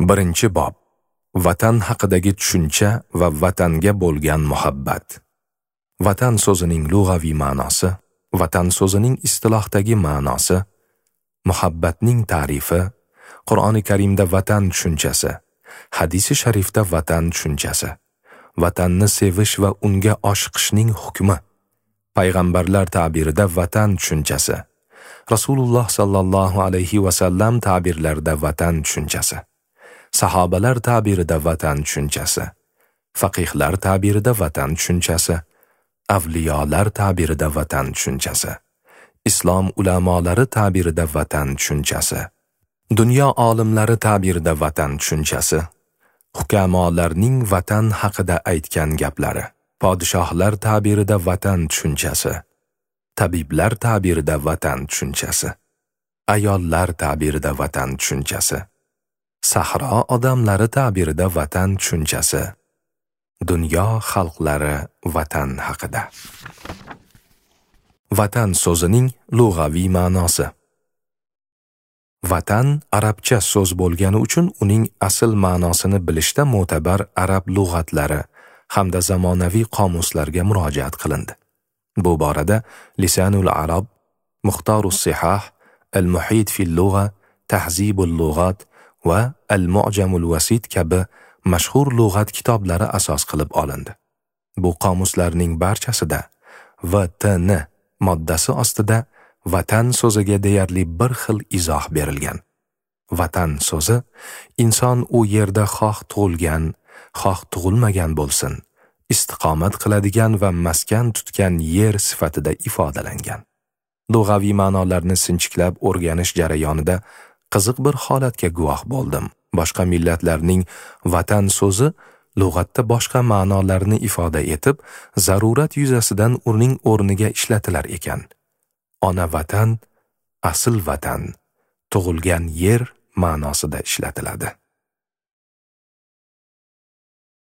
Birinchi bob. Vatan haqidagi tushuncha va vatanga bo'lgan muhabbat. Vatan so'zining lug'aviy ma'nosi, vatan so'zining istilohdagi ma'nosi, muhabbatning ta'rifi, Qur'oni Karimda vatan tushunchasi, hadisi sharifda vatan tushunchasi, vatanni sevish va unga oshiqishning hukmi, payg'ambarlar ta'birida vatan tushunchasi, Rasululloh sallallohu alayhi va sallam ta'birlarida vatan tushunchasi, sahobalar ta'birida vatan tushunchasi, faqihlar ta'birida vatan tushunchasi, avliyolar ta'birida vatan tushunchasi, islom ulamolari ta'birida vatan tushunchasi, dunyo olimlari ta'birida vatan tushunchasi, hukamolarning vatan haqida aytgan gaplari, podshohlar ta'birida vatan tushunchasi, tabiblar ta'birida vatan tushunchasi, ayollar ta'birida vatan tushunchasi, sahro odamlari ta'birida vatan tushunchasi, dunyo xalqlari vatan haqida. Vatan so'zining lug'aviy ma'nosi. Vatan arabcha so'z bo'lgani uchun uning asl ma'nosini bilishda mo'tabar arab lug'atlari hamda zamonaviy qomuslarga murojaat qilindi. Bu borada Lisanul Arab, Muxtarus Sihah, Al-Muhit fil Lug'a, Tahzibul Lug'at va Al-Mu'jamul Vasit kabi mashhur lug'at kitoblari asos qilib olindi. Bu qomuslarning barchasida VTN moddasi ostida vatan so'ziga deyarli bir xil izoh berilgan. Vatan so'zi inson u yerda xoh tug'ilgan, xoh tug'ilmagan bo'lsin, istiqomat qiladigan va maskan tutgan yer sifatida ifodalangan. Lug'aviy ma'nolarni sinchiklab o'rganish jarayonida qiziq bir holatga guvoh bo'ldim. Boshqa millatlarning vatan so'zi lug'atda boshqa ma'nolarni ifoda etib, zarurat yuzasidan uning o'rniga ishlatilar ekan. Ona vatan, asl vatan, tug'ilgan yer ma'nosida ishlatiladi.